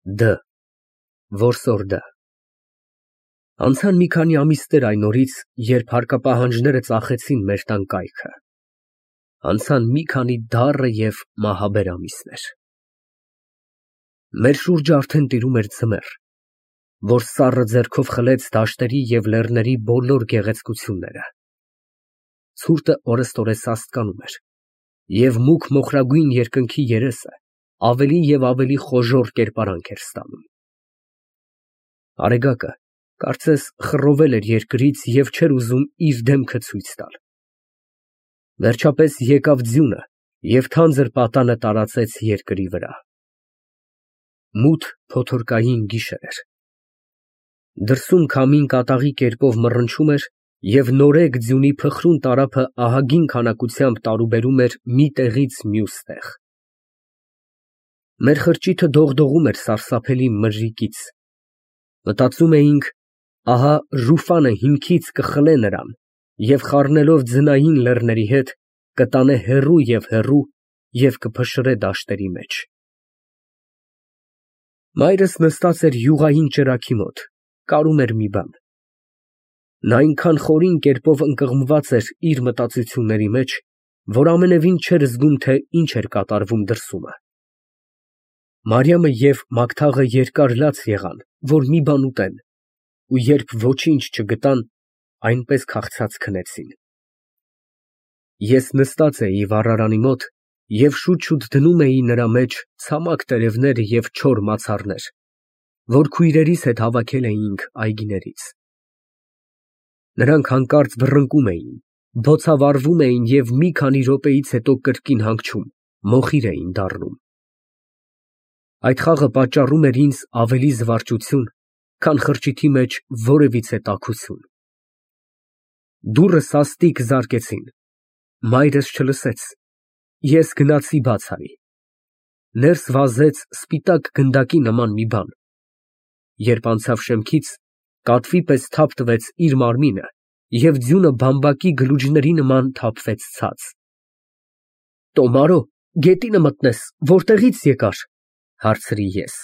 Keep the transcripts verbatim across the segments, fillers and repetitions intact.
Դ Որսորդը Անցան մի քանի ամիսներ այն օրից, երբ հարկապահանջները ծախեցին մեր տան կայքը, անցան մի քանի դառը և մահաբեր ամիսներ։ Մեր շուրջը արդեն տիրում էր ձմեռ, որ սառը ձեռքով խլեց դաշտերի և լեռների բոլոր գեղեցկությունները։ Ցուրտը օրըստօրե սաստկանում էր, և մուգ մոխրագույն երկնքի երեսը ավելի և ավելի խոժոռ կերպարանք էր ստանում։ Արեգակը կարծես խռովել էր երկրից և չէր ուզում իր դեմքը ցույց տալ։ Վերջապես եկավ ձյունը և թանձր պատանը տարածեց երկրի վրա։ Մութ փոթորկային գիշեր էր։ Դրսում քամին կատաղի կերպով մռնչում էր և նորեկ ձյունի փխրուն տարափը ահագին քանակությամբ տարուբերում էր մի տեղից մյուս տեղ։ Մեր խրճիթը դողդողում էր սարսափելի մրրիկից։ Մտածում էինք, ահա Ռուֆանը հիմքից կխլե նրան և խառնելով ձնային լեռների հետ, կտանե հեռու և հեռու և կփշրե դաշտերի մեջ։ Մայրս նստած էր յուղային ճրագի մոտ, կարում էր մի բան։ Նա այնքան խորին կերպով ընկղմված էր իր մտածությունների մեջ, որ ամենևին չէր զգում, թե ինչ էր կատարվում դրսումը։ Մարիամը և Մագթաղը երկար լաց եղան, որ մի բան ուտեն, ու երբ ոչինչ չգտան, այնպես քաղցած քնեցին։ Ես նստած էի վառարանի մոտ և շուտ֊շուտ դնում էի նրա մեջ ցամաք տերևներ և չոր մացառներ, որ քույրերիս հետ հավաքել էինք այգիներից։ Նրանք հանկարծ վռնդկում էին, բոցավառվում էին և մի քանի րոպեից հետո կրկին հանգչում, մոխիր էին դառնում։ Այդ խաղը պատճառում էր ինձ ավելի զվարճություն, քան խրճիթի մեջ որևիցե տաքություն։ Դուռը սաստիկ զարկեցին, մայրս չլսեց, ես գնացի բաց արի։ Ներս վազեց սպիտակ գնդակի նման մի բան։ Երբ անցավ շեմքից, կատվի պես թափ տվեց իր մարմինը և ձյունը բամբակի գլուջների նման թափվեց ցած։ «Տոմարո, գետինը մտնես, որտեղի՞ց եկար», հարցրի ես։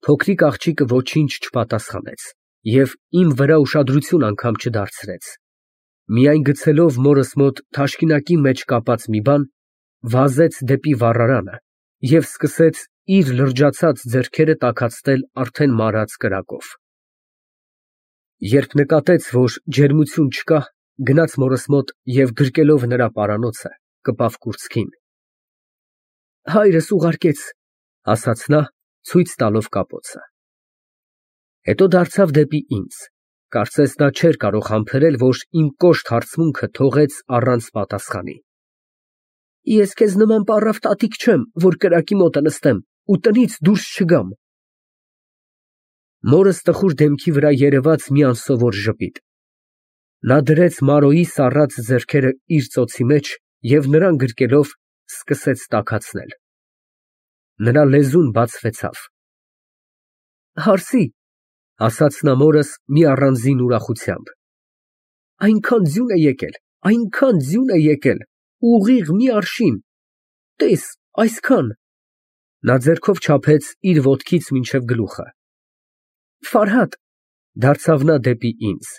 Փոքրիկ աղջիկը ոչինչ չպատասխանեց և իմ վրա ուշադրություն անգամ չդարձրեց, միայն գցելով մորս մոտ թաշկինակի մեջ կապած մի բան, վազեց դեպի վառարանը և սկսեց իր լրջացած ձեռքերը տաքացնել արդեն մարած կրակով։ Երբ նկատեց, որ ջերմություն չկա, գնաց մորս մոտ և գրկելով նրա պարանոցը, կպավ կուրծքին։ «Հայրս ուղարկեց», ասաց նա, ցույց տալով կապոցը։ Հետո դարձավ դեպի ինձ, կարծես նա չէր կարող համբերել, որ իմ կոշտ հարցմունքը թողեց առանց պատասխանի։ «Ես քեզ նման պառավ տատիկ չեմ, որ կրակի մոտը նստեմ ու տնից դուրս չգամ»։ Մորս տխուր դեմքի վրա երևաց մի անսովոր ժպիտ։ Նա դրեց Մարոյի սառած ձեռքերը իր ծոցի մեջ և նրան գրկելով սկսեց տաքացնել։ Նրա լեզուն բացվեցավ։ «Հարսի», ասաց նա մորս մի առանձին ուրախությամբ, «այնքան ձյուն է եկել, այնքան ձյուն է եկել, ուղիղ մի արշին, տես, այսքան»։ Նա ձեռքով չափեց իր ոտքից մինչև գլուխը։ «Ֆարհադ», դարձավ նա դեպի ինձ,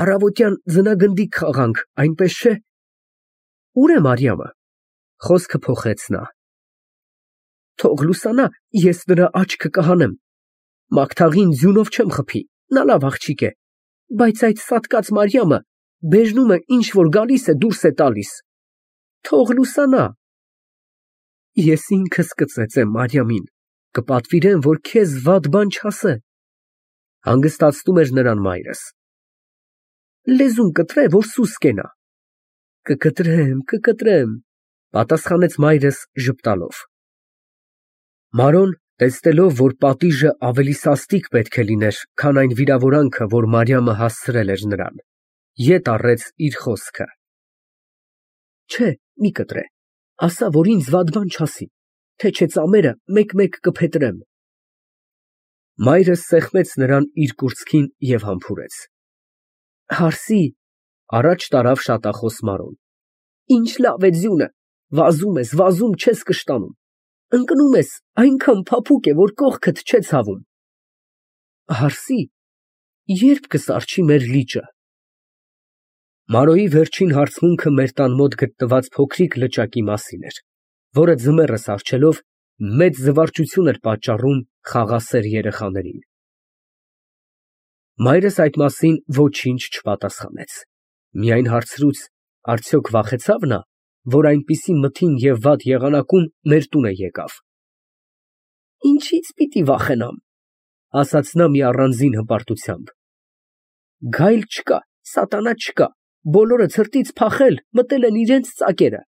«առավոտյան ձնագնդիկ խաղանք, այնպես չէ՞։ Ո՞ւր է Մարիամը», խոսքը փոխեց նա։ «Թող լուսանա, ես նրա աչքը կհանեմ։ Մագթաղին ձյունով չեմ խփի, նա լավ աղջիկ է, բայց այդ սատկած Մարիամը բեժնում է, ինչ որ գալիս է դուրս է տալիս։ Թող լուսանա։ Ես ինքս կծեծեմ Մարիամին, կպատվիրեմ, որ քեզ վատ բան չասե», հանգստացնում էր նրան մայրս։ «Լեզուն կտրե, որ սուս կենա»։ «Կկտրեմ, կկտրեմ», պատասխանեց մայրս ժպտալով։ Մարոն, տեսնելով, որ պատիժը ավելի սաստիկ պետք է լիներ, քան այն վիրավորանքը, որ Մարիամը հասցրել էր նրան, ետ առեց իր խոսքը։ «Չէ, մի կտրե, ասա, որ ինձ վատ բան չասի, թե չէ ծամերը մեկ֊մեկ կփետրեմ»։ Մայրս սեղմեց նրան իր կուրծքին և համբուրեց։ «Հարսի», առաջ տարավ շատախոս Մարոն, «ինչ լավ է ձյունը, վազում ես, վազում, չես կշտանում։ ընկնում ես, այնքան փափուկ է, որ կողքդ չէ ցավում։ Հարսի, երբ կսարչի մեր լիճը։ Մարոյի վերջին հարցմունքը մեր տան մոտ գտնված փոքրիկ լճակի մասին էր, որը ձմեռը սառչելով մեծ զվարճություն էր պատճառում խաղաղասեր երեխաներին։ Մայրս այդ մասին ոչինչ չպատասխանեց, միայն հարցրուց, արդյոք վախեցավ նա, որ այնպիսի մթին և վատ եղանակում մեր տուն է եկավ։ Ինչից պիտի վախենամ, ասաց նա մի առանձին հպարտությամբ։ Գայլ չկա, սատանա չկա, բոլորը ցրտից փախել, մտել են իրենց ծակերը։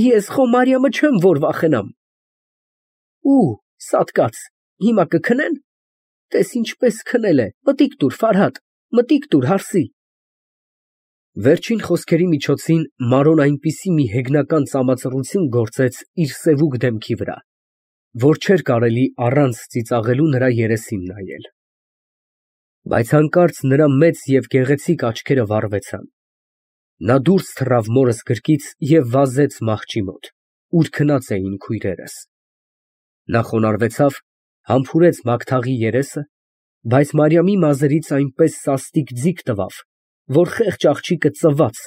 Ես խո Մարիամը չեմ, որ վախենամ։ Ու, սատկած, հիմա կքնեն։ Տես ինչպես քնել է, մտիկ տուր, Ֆարհադ, մտիկ տուր, հարսի։ Վերջին խոսքերի միջոցին Մարոն այնպիսի մի հեգնական ծամածռություն գործեց իր սևուկ դեմքի վրա, որ չէր կարելի առանց ծիծաղելու նրա երեսին նայել։ Բայց հանկարծ նրա մեծ և գեղեցիկ աչքերը վառվեցան։ Նա դուրս թռավ մորս գրկից և վազեց մահճի մոտ, ուր քնած էին քույրերս։ Նա խոնարհվեցավ, համբուրեց Մագթաղի երեսը, բայց Մարիամի մազերից այնպես սաստիկ ձիգ տվավ, որ խեղճ աղջիկը ծվաց,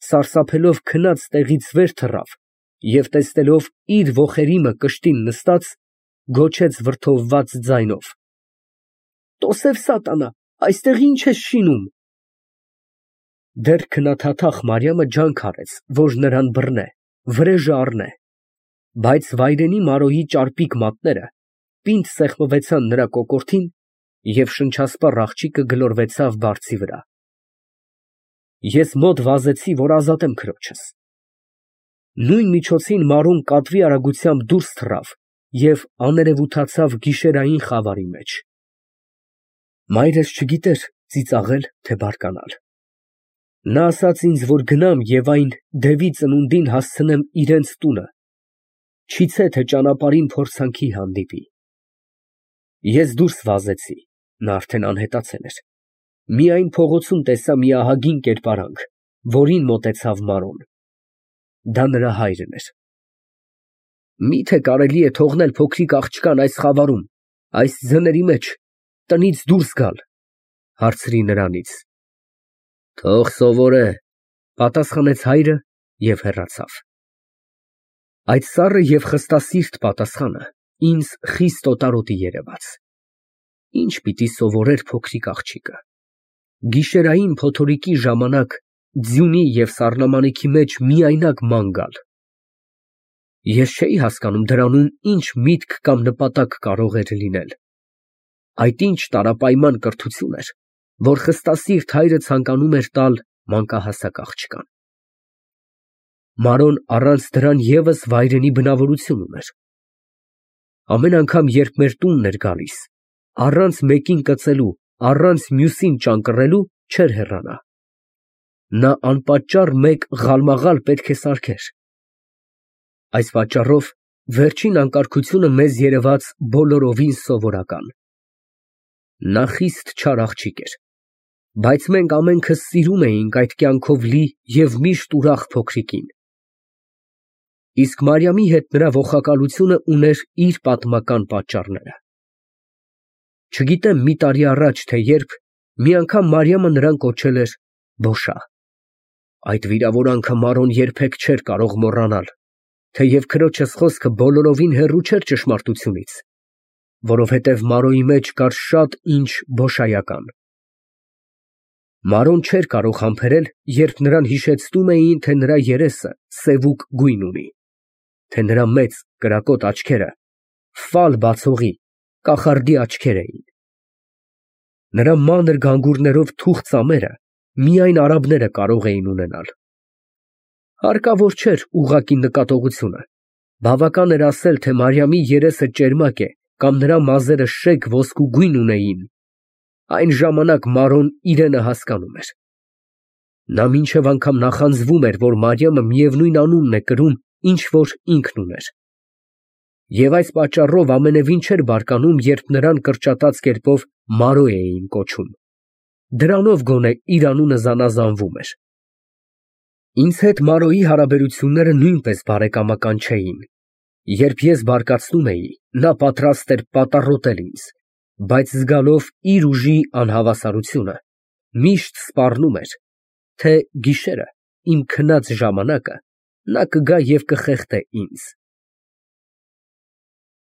սարսափելով քնած տեղից վեր թռավ և տեսնելով իր ոխերիմը կշտին նստած, գոչեց վրդովված ձայնով. Տոսև սատանա, այստեղ ի՞նչ ես շինում։ Դեռ քնաթաթախ Մարիամը ջանք արեց, որ նրան բռնե, վրեժը առնե, բայց վայրենի Մարոյի ճարպիկ մատները պինդ սեղմվեցան նրա կոկորդին, և շնչասպառ աղջիկը գլորվեցավ բարձի վրա։ Ես մոտ վազեցի, որ ազատեմ քրոջս։ Նույն միջոցին Մարոն կատվի արագությամբ դուրս թռավ և աներևութացավ գիշերային խավարի մեջ։ Մայրս չգիտեր ծիծաղել, թե բարկանալ։ Նա ասաց ինձ, որ գնամ և այն դևի ծնունդին հասցնեմ իրենց տունը, չիցե թե ճանապարհին փորձանքի հանդիպի։ Ես դուրս վազեցի, նա արդեն անհետացել էր։ Միայն փողոցում տեսա մի ահագին կերպարանք, որին մոտեցավ Մարոն։ Դա նրա հայրն էր։ Մի՞թե կարելի է թողնել փոքրիկ աղջկան այս խավարում, այս ձների մեջ, տնից դուրս գալ, հարցրի նրանից։ Թող սովորե, պատասխանեց հայրը և հեռացավ։ Այդ սառը և խստասիրտ պատասխանը ինձ խիստ օտարոտի երևաց։ Ինչ պիտի սովորեր փոքրիկ աղջիկը։ Գիշերային փոթորիկի ժամանակ ձյունի և սառնամանիքի մեջ միայնակ ման գալ։ Ես չէի հասկանում դրանում ինչ միտք կամ նպատակ կարող էր լինել։ Այդ ինչ տարապայման կրթություն էր, որ խստասիրտ հայրը ցանկանում էր տալ մանկահասակ աղջկան։ Մարոն առանց դրան ևս վայրենի բնավորություն ուներ։ Ամեն անգամ, երբ մեր տունն էր գալիս, առանց մեկին կծելու, առանց մյուսին ճանկռելու, չէր հեռանա։ Նա անպատճառ մեկ ղալմաղալ պետք է սարքեր։ Այս պատճառով վերջին անկարգությունը մեզ երևաց բոլորովին սովորական։ Նա խիստ չար աղջիկ էր, բայց մենք ամենքս սիրում էինք այդ կյանքով լի և միշտ ուրախ փոքրիկին։ Իսկ Մարիամի հետ նրա ոխակալությունը ուներ իր պատմական պատճառները։ Չգիտեմ մի տարի առաջ, թե երբ, մի անգամ Մարիամը նրան կոչել էր Բոշա։ Այդ վիրավորանքը Մարոն երբեք չէր կարող մոռանալ, թեև քրոջս խոսքը բոլորովին հեռու չէր ճշմարտությունից, որովհետև Մարոյի մեջ կար շատ ինչ բոշայական։ Մարոն չէր կարող համբերել, երբ նրան հիշեցնում էին, թե նրա երեսը սևուկ գույն ունի, թե նրա մեծ կրակոտ աչքերը ֆալ բացողի, կախարդի աչքեր էին։ Նրա մանր գանգուրներով թուխ ծամերը միայն արաբները կարող էին ունենալ։ Հարկավոր չէր ուղղակի նկատողությունը, բավական էր ասել, թե Մարիամի երեսը ճերմակ է կամ նրա մազերը շեկ ոսկու գույն ունեին, այն ժամանակ Մարոն իրենը հասկանում էր։ Նա մինչև անգամ նախանձվում էր, որ Մարիամը միևնույն անունն է կրում, ինչ որ ինքն ուներ։ Եվ այս պատճառով ամենևին չէր բարկանում, երբ նրան կրճատած կերպով Մարո էին կոչում։ Դրանով գոնե իր անունը զանազանվում էր։ Ինձ հետ Մարոյի հարաբերությունները նույնպես բարեկամական չէին։ Երբ ես բարկացնում էի, նա պատրաստ էր պատառոտել ինձ, բայց զգալով իր ուժի անհավասարությունը, միշտ սպառնում էր, թե գիշերը, իմ քնած ժամանակը, նա կգա և կխեղդե ինձ։